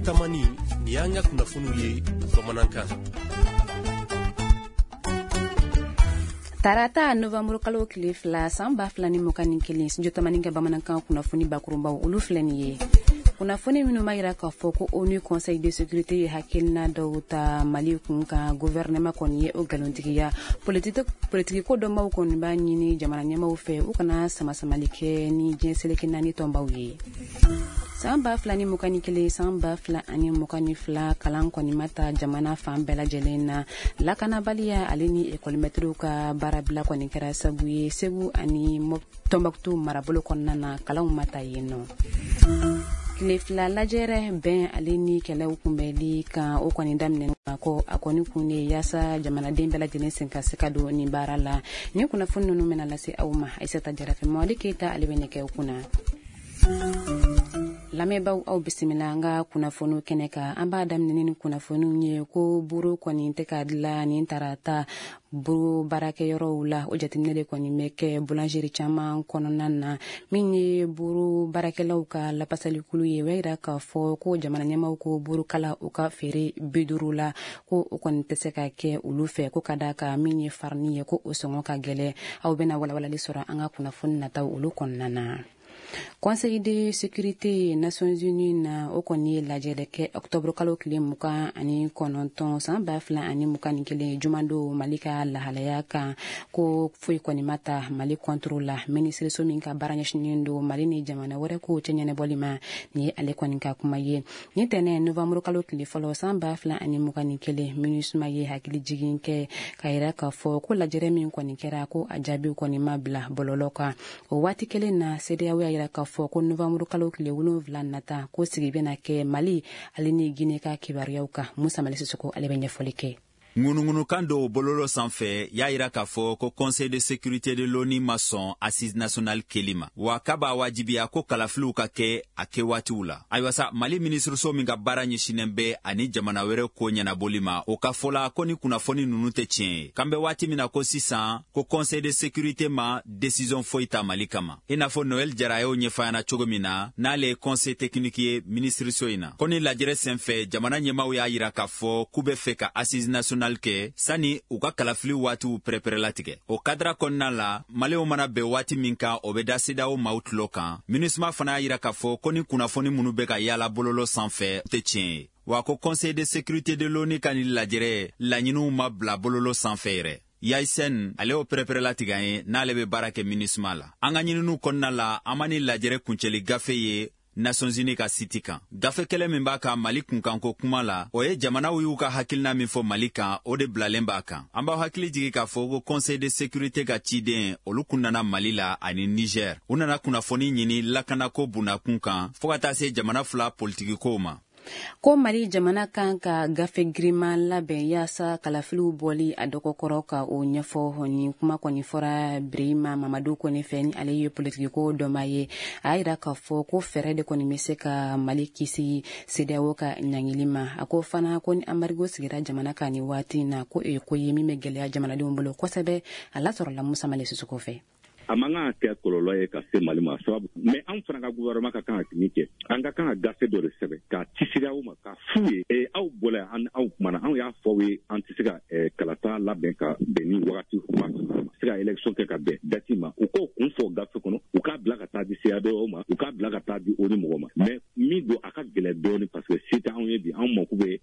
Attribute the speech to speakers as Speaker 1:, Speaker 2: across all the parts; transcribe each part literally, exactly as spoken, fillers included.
Speaker 1: Tamani, nin y'an ka kunnafoniw ye bamanankan.
Speaker 2: Tarata novembre kalo tile fila san ba fila ni mugan ni kelen, Studio Tamani ka bamanankan kunnafoni bakurunbaw olu filɛ nin ye. Kunnafoni minnu b'a yira k'a fɔ ko ONU Conseil de sécurité ye hakilina dɔw ta Mali kun kan, gouvernement kɔni ye o nkalontigiya. Politiki ko dɔnbaw kɔni b'a ɲini jamana ɲɛmaaw fɛ u kana samasamali kɛ ni diɲɛ seleke naani tɔnbaw ye. San ba fila ni mugan ni kelen, san ba fila ani mugan ni fila, kalan kɔni ma ta jamana fan bɛɛ lajɛlen na. Lakanabaliya ale ni ekɔlimɛtiriw ka baarabila kɔni kɛra sabu ye Segu ani Tɔnbɔkutu marabolo kɔnɔna na, kalanw ma ta yen nɔ. Tile fila lajɛrɛ bɛn ale ni kɛlɛw kunbɛli kan, o kɔni daminɛ ko a kɔni kun de yaasa jamanaden bɛɛ lajɛlen sen ka se ka don nin baara la. Nin kunnafoni ninnu bɛna lase aw ma Aïssata Jara fɛ, Mamadu Keyita ale bɛ nɛgɛw kunna. Lamɛnbaaw, aw bisimila an ka kunnafoniw kɛnɛ kan. An b'a daminɛ ni kunnafoniw ye ko buru kɔni tɛ ka dilan nin tarata buru baarakɛyɔrɔw la. O jateminɛ de kɔni bɛ kɛ boulangerie caman kɔnɔna na. Min ye buru baarakɛlaw ka lapasalikulu ye, o y'a yira k'a fɔ ko jamana ɲɛmaaw ko burukala u ka feere bi duuru la, ko o kɔni tɛ se ka kɛ olu fɛ, ko ka d'a kan min ye farini ye ko o sɔngɔ ka gɛlɛn. Aw bɛna walawalali sɔrɔ an ka kunnafoni nataw olu kɔnɔna na. Conseil de sécurité Nations Unies na, o kɔni ye lajɛrɛ kɛ octobre kalo tile mugan ani kɔnɔntɔn san ba fila ani mugan ni kelen jumadon Mali ka lahalaya kan, ko foyi kɔni ma ta Mali contre la. Minisiriso min ka baara ɲɛsinnen don Mali ni jamana wɛrɛ kow cɛ ɲɛnabɔli ma, nin ye ale kɔni ka kuma ye. Nin tɛnɛn novembre kalo tile fɔlɔ san ba fila ani mugan ni kelen, MINUSMA ye hakili jigin kɛ k'a yira k'a fɔ ko lajɛrɛ min kɔni kɛra, ko a jaabiw kɔni ma bila bɔlɔlɔ kan. O waati kelen na, CEDEAO y'a yira k'a fɔ ko novembre kalo tile wolonwula nata, ko sigi bɛna kɛ Mali ale ni Guinée ka kibaruyaw kan. Musa Mali Sisoko ale bɛ ɲɛfɔli kɛ.
Speaker 3: Ŋunuŋunukan dɔw bololo sanfɛ y'a yira k'a fɔ ko Conseil de sécurité de l'ONU ma sɔn assise nationale kɛli ma, wa k'a b'a wajibiya ko kalafiliw ka kɛ a kɛwaatiw la. Ayiwa sa, Mali minisiriso min ka baara ɲɛsinnen bɛ ani jamana wɛrɛ ko ɲɛnabɔli ma, o ka fɔ la ko ni kunnafoni ninnu tɛ tiɲɛ ye. K'an bɛ waati min na ko sisan, ko Conseil de sécurité ma décision foyi ta Mali kama, i n'a fɔ Noël Jara y'o ɲɛfɔ an ɲɛna cogo min na, n'ale ye conseil technique ye minisiriso in na. Ko ni lajɛrɛ senfɛ, jamana ɲɛmaaw y'a yira k'a fɔ k'u bɛ fɛ ka assise nationale kɛ sani u ka kalafili waatiw pɛrɛpɛrɛlatigɛ. O kadira kɔnɔna la, Maliyɛnw mana bɛn waati min kan, o bɛ da CEDEAO maaw tulo kan. MINUSMA fana y'a yira k'a fɔ ko ni kunnafoni minnu bɛ ka yaala bololo sanfɛ tɛ tiɲɛ ye, wa ko Conseil de sécurité de l'ONU ka nin lajɛrɛ laɲiniw ma bila bololo sanfɛ yɛrɛ. Yayisen ale y'o pɛrɛpɛrɛlatigɛ an ye, n'ale bɛ baara kɛ MINUSMA la. An ka ɲininiw kɔnɔna la, an ma ni lajɛrɛ kuncɛli gafe ye Nations Unies ka site kan. Gafe kɛlɛ min b'a kan Mali kunkanko kuma la, o ye jamanaw y'u ka hakilina min fɔ Mali kan, o de bilalen b'a kan. An b'aw hakili jigi k'a fɔ ko Conseil de sécurité ka ciden olu kun nana Mali la ani Niger. U nana kunnafoni ɲini lakanako bundakun kan fɔɔ ka taa se jamana fila politikikow ma.
Speaker 2: Ko Mali jamana kan ka gafe giriman labɛn yaasa kalafiliw bɔli a dɔgɔkɔrɔ ka o ɲɛfɔ. Nin kuma kɔni fɔra Birima Mamadu Kone fɛ, ni ale ye politikiko dɔnbaa ye. A y'a yira k'a fɔ ko fɛɛrɛ de kɔni bɛ se ka Mali kisi CEDEAO ka ɲangili ma. A ko fana ko ni embargo sigira jamana kan nin waati in na, ko o ye ko ye min bɛ gɛlɛya jamanadenw bolo kosɛbɛ. A lasɔrɔla Musa Mali Sisoko fɛ.
Speaker 4: A man kan ka kɛ kɔlɔlɔ ye ka se Mali ma sababu, mais anw fana ka gouvernement ka kan ka min kɛ, an ka kan ka gafe dɔ de sɛbɛn k'a ci CEDEAO ma k'a f'u ye: aw bɔla yan, an aw kumana, anw y'a fɔ aw ye an tɛ se ka kalata labɛn ka bɛn ni wagati waati ma, se ka élection kɛ ka bɛn date ma. U k'o kun fɔ gafe kɔnɔ, u k'a bila ka taa di CEDEAO ma, u k'a bila ka taa di ONU mɔgɔw ma. Mais min don, a ka gɛlɛn dɔɔnin, parce que se tɛ anw ye bi. Anw mako bɛ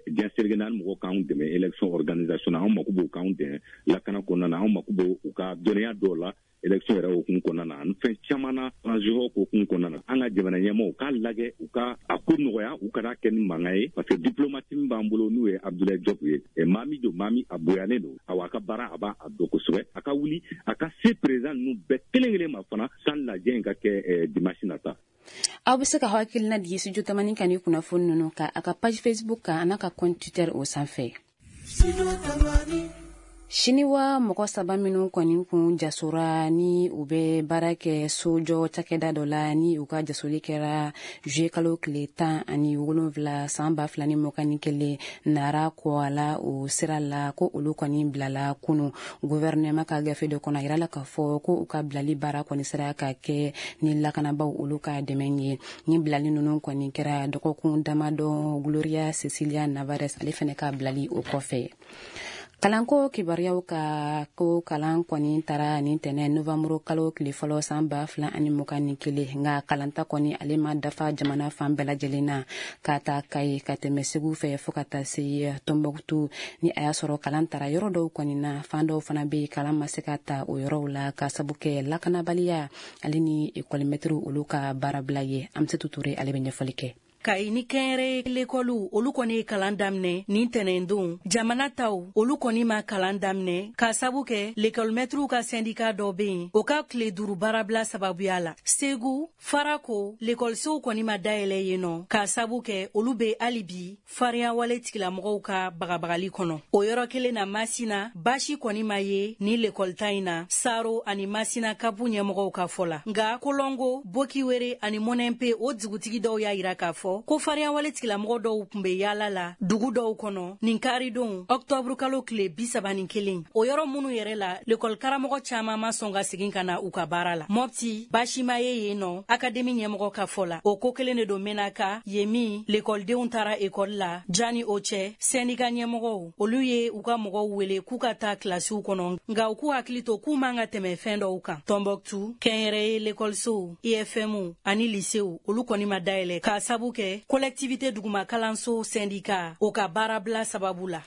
Speaker 4: diɲɛ seleke naani mɔgɔw k'anw dɛmɛ élection organisation na, anw mako b'u k'anw dɛmɛ lakana kɔnɔna na, anw mako b'u ka dɔnniya dɔw la élection yɛrɛ hukumu kɔnɔna na, ani fɛn caman na transition hukumu kɔnɔna na. An ka jamana ɲɛmaaw k'a lajɛ, u ka a ko nɔgɔya, u kana kɛ ni mankan ye, parce que diplomate min b'an bolo, n'o ye Abdoulaye Diop ye, maa min don, maa min a bonyalen don, awa a ka baara a b'a dɔn kosɛbɛ. A ka wuli a ka se président ninnu bɛɛ kelen kelen ma fana san lajɛ in ka kɛ dimanche nata.
Speaker 2: Aw bɛ se ka hakilina di Studio Tamani kan ni kunnafoni ninnu kan a ka page Facebook kan, a n'a ka compte Twitter o sanfɛ. Siniwa mɔgɔ saba minnu kɔni kun jasora ni u bɛ baara kɛ sojɔ cakɛda dɔ la, ni u ka jasoli kɛra juillet kalo tile tan ani wolonwula san ba fila ni mugan ni kelen Nara Kɔala o sira la, ko olu kɔni bilala kunu. Gouvernement ka gafe dɔ kɔnɔ, a yirala k'a fɔ ko u ka bilali baara kɔni sera ka kɛ ni lakanabaw olu ka dɛmɛ ye. Ni bilali ninnu kɔni kɛra dɔgɔkun damadɔ Gloria Cecilia Navarez ale fɛnɛ ka bilali o kɔfɛ. Kalanko kibaruyaw ka ko kalan kɔni taara nin tɛnɛ novembre kalo tile fɔlɔ san ba fila ani mugan ni kelen, nka kalanta kɔni ale ma dafa jamana fan bɛɛ lajɛlen na, ka taa Kayi ka tɛmɛ Segu fɛ fo ka taa se Tɔnbɔkutu. Ni a y'a sɔrɔ kalan taara yɔrɔ dɔw kɔni na, fan dɔw fana bɛ yen kalan ma se ka ta o yɔrɔw la ka sabu kɛ lakanabaliya ale ni ekɔlimɛtiriw olu ka baarabila ye. Amsetu Ture ale bɛ ɲɛfɔli kɛ.
Speaker 5: Kayi ni kɛnyɛrɛye lekɔliw olu kɔni ye kalan daminɛ nin tɛnɛndon. Jamana taw olu kɔni ma kalan daminɛ k'a sabu kɛ lekɔlimɛtiriw ka sɛndika dɔ bɛ yen, o ka tile duuru baarabila sababuya la. Segu, Farako, lekɔlisow kɔni ma dayɛlɛ yen nɔ k'a sabu kɛ olu bɛ hali bi fariyawale tigilamɔgɔw ka bagabagali kɔnɔ. O yɔrɔ kelen na Masina, baasi kɔni ma ye ni lekɔlita in na Saro ani Masina kabu ɲɛmɔgɔw ka fɔ la. Nka Kolongo, Bokiwere ani Mɔnɛnpe o dugutigi dɔw y'a yira k'a fɔ ko fariyawale tigilamɔgɔ dɔw tun bɛ yaala la dugu dɔw kɔnɔ nin karidon ɔktɔburu kalo tile bi saba ni kelen. O yɔrɔ minnu yɛrɛ la, lekɔlikaramɔgɔ caman ma sɔn ka segin ka na u ka baara la. Mɔpti, baasi ma ye yen nɔ akademi ɲɛmɔgɔ ka fɔ la. O ko kelen de don Menaka, yen min lekɔlidenw taara ekɔli la. Jani o cɛ, sɛndika ɲɛmɔgɔw olu ye u ka mɔgɔw wele k'u ka taa kilasiw kɔnɔ, nka u k'u hakili to k'u man ka tɛmɛ fɛn dɔw kan. Tɔnbɔkutu, kɛnyɛrɛye lekɔlisow, I F M ani lisew olu kɔni ma dayɛlɛ k'a sabu kɛ collectivité duguma kalanso syndicat o ka baarabila sababu la.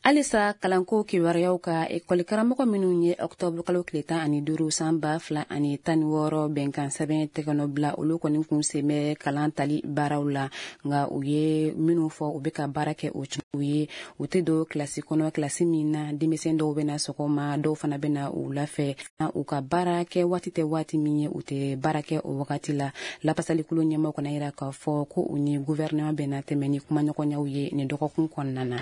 Speaker 2: Halisa kalanko kibaruyaw ka ekɔlikaramɔgɔ minnu ye ɔktɔburu kalo tile tan ani duuru san ba fila ani tan ni wɔɔrɔ bɛnkan sɛbɛn tɛgɛnɔ bila, olu kɔni kun sen bɛ kalan tali baaraw la, nka u ye minnu fɔ u bɛ ka baara kɛ o cogo ye. U tɛ don kilasi kɔnɔ, kilasi min na denmisɛn dɔw bɛ na sɔgɔma, dɔw fana bɛ na wula fɛ. U ka baara kɛ waati tɛ waati min ye, u tɛ baara kɛ o wagati la. Lapasalikulu ɲɛmɔgɔ kɔni yira k'a fɔ ko u ni gouvernement bɛna tɛmɛ ni kumaɲɔgɔnyaw ye nin dɔgɔkun kɔnɔna na.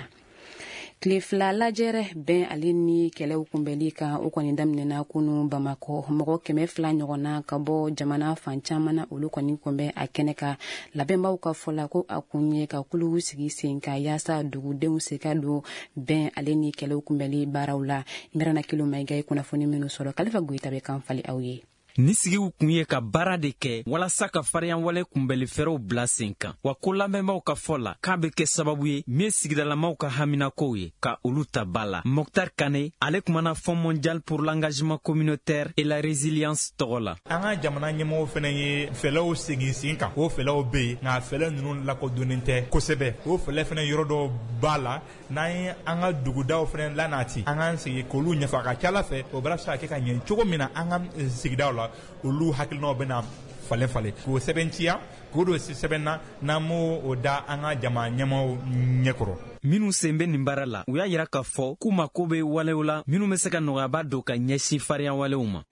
Speaker 2: Tile fila lajɛrɛ bɛn ale ni kɛlɛw kunbɛli kan, o kɔni daminɛna kunu Bamakɔ. Mɔgɔ kɛmɛ fila ɲɔgɔnna ka bɔ jamana fan caman na, olu kɔni kunbɛn a kɛnɛ kan. Labɛnbaw ka fɔ la ko a kun ye ka kuluw sigi sen kan yaasa dugudenw se ka don bɛn ale ni kɛlɛw kunbɛli baaraw la. Mirana Kilo Mayiga ye kunnafoni minnu sɔrɔ, Kalifa Goyita bɛ kan fali aw ye.
Speaker 6: Ni sigiw kun ye ka baara de kɛ walasa ka fariyanwale kunbɛlifɛɛrɛw bila sen kan, wa ko lamɛnbaaw ka fɔ la k'a bɛ kɛ sababu ye min ye sigidalamaw ka haminakow ye ka olu ta ba la. Mokhtar Kane ale kumana Fonds mondial pour l'engagement communautaire et la résilience tɔgɔ la.
Speaker 7: An ka jamana ɲɛmɔgɔw fɛnɛ ye fɛlɛw segin sen kan, o fɛlɛw bɛ yen nka fɛlɛ ninnu lakodɔnnen tɛ kosɛbɛ. O fɛlɛ fɛnɛ yɔrɔ dɔw b'a la, n'an ye an ka dugudaw fɛnɛ lanati, an k'an sigi k'olu ɲɛfɔ. A ka ca ala fɛ o baara bɛ se ka kɛ ka ɲɛ cogo min na an ka sigidaw la, olu hakilinaw bɛna falen falen k'o sɛbɛntiya, k'o don sɛbɛn na, n'an m'o o da an ka jama ɲɛmaaw ɲɛkɔrɔ.
Speaker 6: Minnu sen bɛ nin baara la, u y'a yira k'a fɔ k'u mako bɛ walew la minnu bɛ se ka nɔgɔyaba don ka ɲɛsin fariyawalew ma.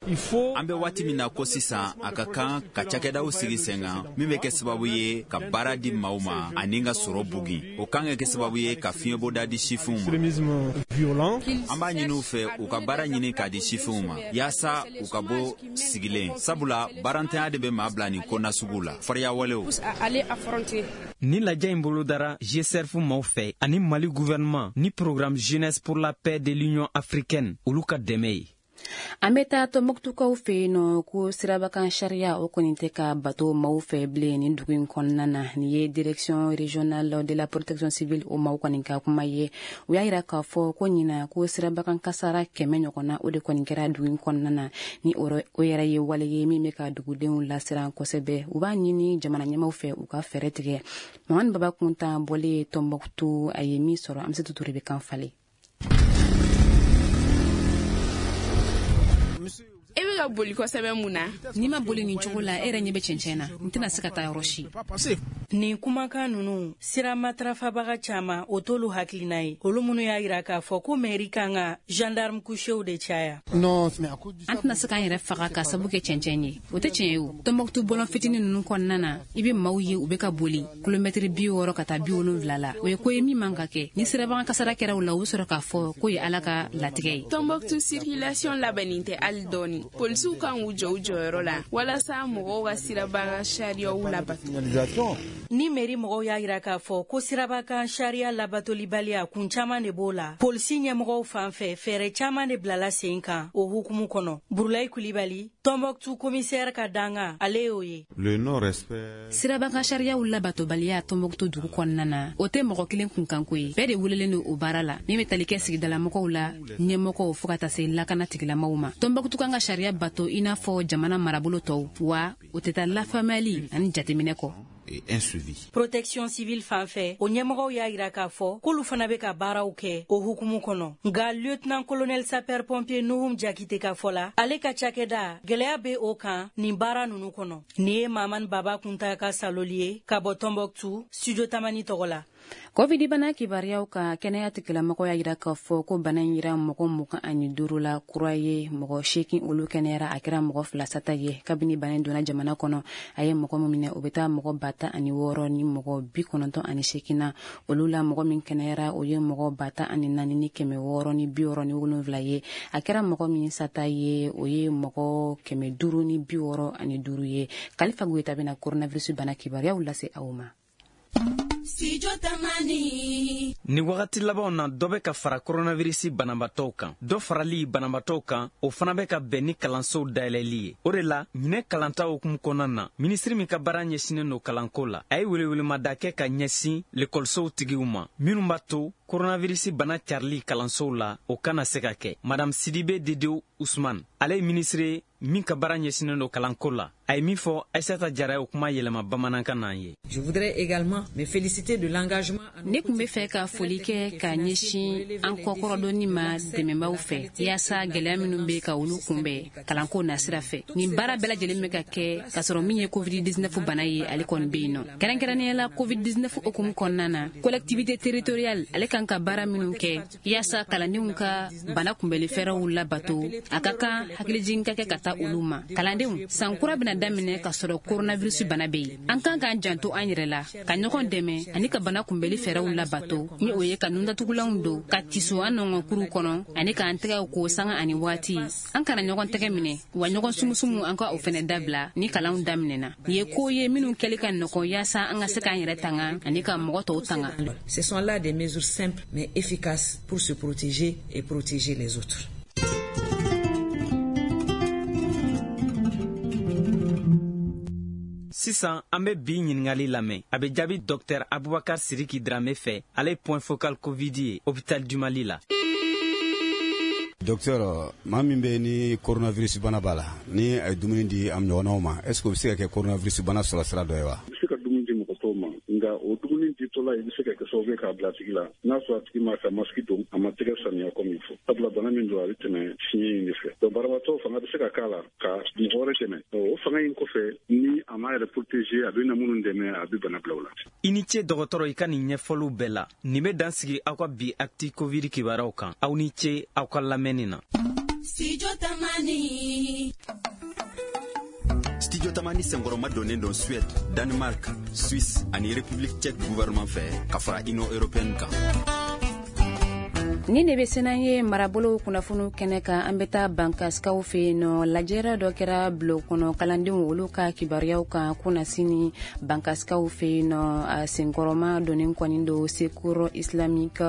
Speaker 3: An bɛ waati min na ko sisan, a ka kan ka cakɛdaw sigi sen kan min bɛ kɛ sababu ye ka baara di maaw ma ani ka sɔrɔ bugin. O kan ka kɛ sababu ye ka fiɲɛbɔda di sifinw ma. An b'a ɲini u fɛ u ka baara ɲini k'a di sifinw ma yaasa u ka bɔ sigilen, sabula baarantanya de bɛ maa bila nin ko nasugu la, fariyawalew.
Speaker 6: Ni lajɛ in bolodara G S R F maaw fɛ ani Mali gouvernement ni programme Jeunesse pour la paix de l'Union africaine olu ka dɛmɛ ye.
Speaker 2: An bɛ taa Tɔnbɔkutukaw fɛ yen nɔ, ko sirabakan sariya o kɔni tɛ ka bato maaw fɛ bilen nin dugu in kɔnɔna na. Nin ye direction régionale de la protection civile o maaw kɔni ka kuma ye. U y'a yira k'a fɔ ko ɲina ko sirabakan kasara kɛmɛ ɲɔgɔnna o de kɔni kɛra dugu in kɔnɔna na. Ni o yɛrɛ ye wale ye min bɛ ka dugudenw lasiran kosɛbɛ. U b'a ɲini jamana ɲɛmaaw fɛ u ka fɛɛrɛ tigɛ. Mamani Baba Kuntan bɔlen Tɔnbɔkutu, a ye min sɔrɔ, Amsetu Ture bɛ kan falen.
Speaker 8: I bɛ ka boli kosɛbɛ mun na?
Speaker 2: N'i ma boli nin cogo la, e yɛrɛ ɲɛ bɛ cɛncɛn na. N tɛna se ka taa yɔrɔ si.
Speaker 5: Nin kumakan ninnu sira matarafabaga caman o t'olu hakilina ye. Olu minnu y'a yira k'a fɔ ko mairie kan ka gendarme couchew de caya.
Speaker 2: An tɛna se k'an yɛrɛ faga ka sabu kɛ cɛncɛn ye. O tɛ tiɲɛ ye o. Tɔnbɔkutu bɔlɔn fitinin ninnu kɔnɔna na, i bɛ maaw ye u bɛ ka boli kilomɛtiri bi wɔɔrɔ ka taa bi wolonwula la. O ye ko ye min man ka kɛ. Ni sirabaga kasara kɛra u la, u bɛ sɔrɔ k'a fɔ k'o ye Ala ka latigɛ ye.
Speaker 8: Tɔnbɔkutu circulation labɛnnen tɛ hali dɔɔni. Polisiw kan k'u jɔ u jɔyɔrɔ la walasa mɔgɔw ka sirabaga sariyaw labato.
Speaker 5: Ni mairie mɔgɔw y'a yira k'a fɔ ko sirabakan sariya labatolibaliya kun caman de b'o la, polisi ɲɛmɔgɔw fan fɛ fɛɛrɛ caman de bilala sen kan o hukumu kɔnɔ. Burulayi Kulibali, Tɔnbɔkutu commissaire ka danga, ale y'o ye.
Speaker 2: Sirabakan sariyaw labatobaliya Tɔnbɔkutu dugu kɔnɔna na, o tɛ mɔgɔ kelen kunkanko ye. Bɛɛ de welelen don o baara la, min bɛ tali kɛ sigidalamɔgɔw la, ɲɛmɔgɔw fo ka taa se lakana tigilamɔgɔw ma. Tɔnbɔkutu kan ka sariya bato i n'a fɔ jamana marabolo tɔw, wa o tɛ taa lafaamuyali ani jateminɛ kɔ.
Speaker 5: Protection civile fan fɛ, o ɲɛmɔgɔw y'a yira k'a fɔ k'olu fana bɛ ka baaraw kɛ o hukumu kɔnɔ. Nka lieutenant colonel sapeur pompier Nuhum Jakite ka fɔ la, ale ka cakɛda gɛlɛya bɛ o kan nin baara ninnu kɔnɔ. Nin ye Mamani Baba Kunta ka saloli ye ka bɔ Tɔnbɔkutu, Studio Tamani tɔgɔ la.
Speaker 2: Covid bana kibaruyaw ka kɛnɛya tigilamɔgɔw y'a yira k'a fɔ ko bana in yira mɔgɔ mugan ani duuru la kura ye, mɔgɔ seegin olu kɛnɛyara, a kɛra mɔgɔ fila sata ye. Kabini bana in donna jamana kɔnɔ, a ye mɔgɔ min minɛ o bɛ taa mɔgɔ ba tan ani wɔɔrɔ ni mɔgɔ bi kɔnɔntɔn ani seegin na. Olu la mɔgɔ min kɛnɛyara o ye mɔgɔ ba tan ani naani ni kɛmɛ wɔɔrɔ ni bi wɔɔrɔ ni wolonwula ye. A kɛra mɔgɔ min sata ye o ye mɔgɔ kɛmɛ duuru ni bi wɔɔrɔ ani duuru ye. Kalifa Goyita bɛna coronavirus bana kibaruyaw lase aw ma.
Speaker 6: Ni wagati labanw na, dɔ bɛ ka fara koronavirisi banabatɔw kan. Dɔ farali banabatɔw kan, o fana bɛ ka bɛn ni kalansow dayɛlɛli ye. O de la, ɲinɛ kalanta hukumu kɔnɔna na, minisiri min ka baara ɲɛsinnen don kalanko la, a ye welewelemada kɛ ka ɲɛsin lekɔlisow tigiw ma, minnu b'a to koronavirisi bana carili kalansow la, o kana se ka kɛ. Madame Sidibe Dedew Usman, ale ye minisiri min ka baara ɲɛsinnen don kalanko la, a ye min fɔ Aissata Jara ye o kuma yɛlɛma bamanankan n'an ye.
Speaker 2: Ne tun bɛ fɛ ka foli kɛ ka ɲɛsin an kɔkɔrɔdonni ma dɛmɛbaaw fɛ, yaasa gɛlɛya minnu bɛ ka olu kunbɛn kalanko nasira fɛ. Nin baara bɛɛ lajɛlen bɛ ka kɛ k'a sɔrɔ min ye covid dix-neuf bana ye, ale kɔni bɛ yen nɔ. Kɛrɛnkɛrɛnnenya la covid dix-neuf hukumu kɔnɔna na, collectivité territoriale ale kan ka baara minnu kɛ yaasa kalandenw ka bana kunbɛnli fɛɛrɛw labato, a ka kan hakilijigin ka kɛ ka taa olu ma. Kalandenw, san kura bɛna daminɛ k'a sɔrɔ coronavirus bana bɛ yen. An kan k'an janto an yɛrɛ la, ka ɲɔgɔn dɛmɛ ani ka bana kunbɛnli fɛɛrɛw labato, ni o ye ka nundatugulanw don, ka tiso an nɔngɔnkuruw kɔnɔ ani k'an tɛgɛw ko sanga ani waati. An kana ɲɔgɔn tɛgɛ minɛ, wa ɲɔgɔn sumusumu an ka o fɛnɛ dabila ni kalanw daminɛna. Nin ye ko ye minnu kɛli ka nɔgɔn yaasa an ka se k'an yɛrɛ tanga ani ka mɔgɔ tɔw tanga.
Speaker 9: Ce sont là des mesures simples mais efficaces pour se protéger et protéger les autres.
Speaker 6: Sisan an bɛ bi ɲininkali lamɛn. A bɛ jaabi Docteur Abubakar Siriki Dramé fɛ, ale ye point focal Covid ye hôpital du Mali la.
Speaker 10: Docteur, maa min bɛ ni coronavirus bana b'a la, ni a ye dumuni di a ɲɔgɔnnaw ma, est ce que o bɛ se ka kɛ coronavirus bana sɔrɔ sira dɔ ye wa?
Speaker 11: I bɛ se ka dumuni di mɔgɔ tɔw ma, nka o dumuni ditɔla i bɛ se ka kɛ sababu ye k'a bila a tigi la. N'a sɔrɔ a tigi ma ka masque don, a ma tɛgɛ saniya comme il faut. Sabula bana min don, a bɛ tɛmɛ fiɲɛ in de fɛ. Donc banabaatɔ fanga bɛ se ka k'a la ka mɔgɔ wɛrɛ dɛmɛ. O fanga in kɔfɛ, ni a m'a yɛrɛ protéger, a bɛ na minnu dɛmɛ, a bɛ bana bila o la.
Speaker 6: I ni ce dɔgɔtɔrɔ i ka nin ɲɛfɔliw bɛɛ la. Nin bɛ dan sigi aw ka bi actu Covid kibaruyaw kan. Aw ni ce aw ka lamɛnni na.
Speaker 12: Studio Tamani.
Speaker 3: Studio Tamani senkɔrɔma donnen don Suède, Danemark, Suisse ani République tchèque gouvernement fɛ ka fara Union européenne kan.
Speaker 2: Ni de bɛ senan ye marabolo kunnafoniw kɛnɛ kan, an bɛ taa Bankasikaw fɛ yen nɔ. Lajɛrɛ dɔ kɛra bulon kɔnɔ kalandenw olu ka kibaruyaw kan kunnasini Bankasikaw fɛ yen nɔ. A senkɔrɔma donnen kɔni don Secours Islamique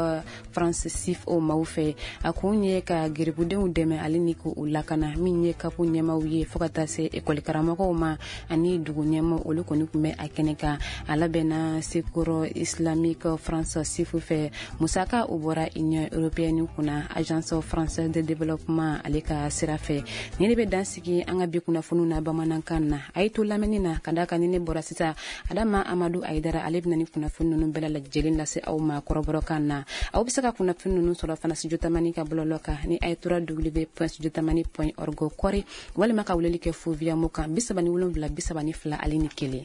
Speaker 2: France S I F o maaw fɛ. A kun ye ka geribudenw dɛmɛ ale ni k'u lakana, min ye kapu ɲɛmaw ye fo ka taa se ekɔli karamɔgɔw ma ani dugu ɲɛmaw, olu kɔni tun bɛ a kɛnɛ kan. A labɛnna Secours Islamique France S I F fɛ. Musaka o bɔra Union européenne européenne kunna, Agence française de développement ale ka sira fɛ. Ni de bɛ dan sigi an ka bi kunnafoniw na bamanankan na. A ye to lamɛnni na ka d'a kan ni ne bɔra sisan, Adama Amadu Ayidara ale bɛna ni kunnafoni ninnu bɛɛ lajɛlen lase aw ma kɔrɔbɔrɔkan na. Aw bɛ se ka kunnafoni ninnu sɔrɔ fana Studio Tamani ka bɔlɔlɔ kan ni a ye trois w point studio tamani point org kɔri, walima ka weleli kɛ fo via mo kan bi saba ni wolonwula bi saba ni fila ale ni kelen.